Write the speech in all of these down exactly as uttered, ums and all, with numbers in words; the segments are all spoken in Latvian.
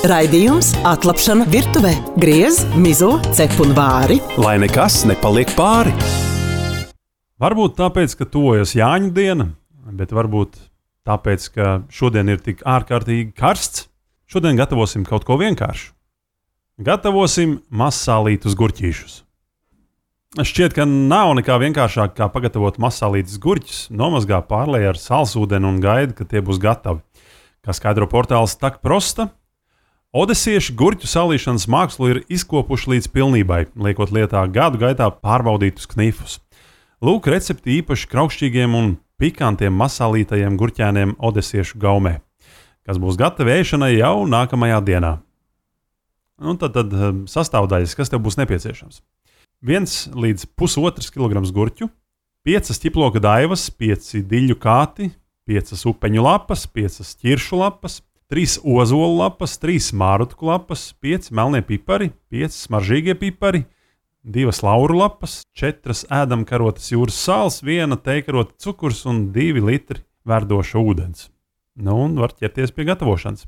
Raidījums Atlapšana virtuvē. Griez, mizo, cep un vāri. Lai nekas nepaliek pāri. Varbūt tāpēc, ka tuvojas Jāņu diena, bet varbūt tāpēc, ka šodien ir tik ārkārtīgi karsts. Šodien gatavosim kaut ko vienkāršu. Gatavosim mazsālītus gurķīšus. Šķiet, ka nav nekā vienkāršāk, kā pagatavot mazsālītus gurķus, nomazgā pārlej ar salsūdeni un gaida, ka tie būs gatavi. Kā skaidro portāls Tak Prosta, odesieši gurķu salīšanas mākslu ir izkopuši līdz pilnībai, liekot lietā gadu gaitā pārbaudītus knifus. Lūk, recepti īpaši kraukšķīgiem un pikantiem mazsālītajiem gurķēniem odesiešu gaumē, kas būs gatavi ēšanai jau nākamajā dienā. Un tad, tad sastāvdaļas, kas tev būs nepieciešams. Viens līdz pusotrs kilograms gurķu, piecas ķiploka daivas, pieci diļu kāti, piecas upeņu lapas, piecas ķiršu lapas, trīs ozolu lapas, trīs mārutku lapas, pieci melnie pipari, pieci smaržīgie pipari, divas lauru lapas, četras ēdamkarotes jūras sāls, viena teikarota cukurs un divi litri verdoša ūdens. Nu, un var ķerties pie gatavošanas.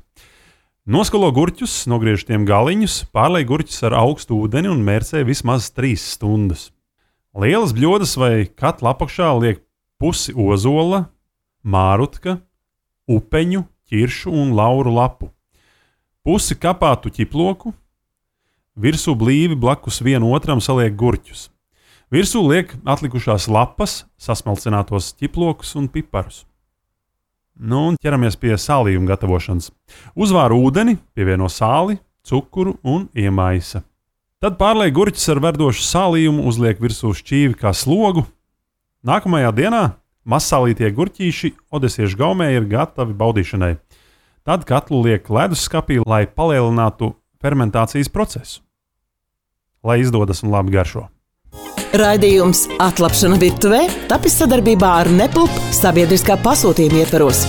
Noskalo gurķus, nogriež tiem galiņus, pārlej gurķus ar augstu ūdeni un mērcē vismaz trīs stundas. Lielas bļodas vai katla apakšā liek pusi ozola, mārutka, upeņu, ķiršu un lauru lapu. Pusi kapātu ķiploku, virsū blīvi blakus vienu otram saliek gurķus. Virsū liek atlikušās lapas, sasmalcinātos ķiplokus un piparus. Nu, un ķeramies pie sālījuma gatavošanas. Uzvāra ūdeni, pievieno sāli, cukuru un iemaisa. Tad pārlej gurķus ar verdošu sālījumu, uzliek virsū šķīvi kā slogu. Nākamajā dienā mazsālītie gurķīši odesiešu gaumē ir gatavi baudīšanai. Tad katlu liek leduskapī, lai palielinātu fermentācijas procesu. Lai izdodas un labi garšo. Raidījums Atlapšana virtuvē tapis sadarbībā ar Nepulp sabiedriskā pasūtījuma ietvaros.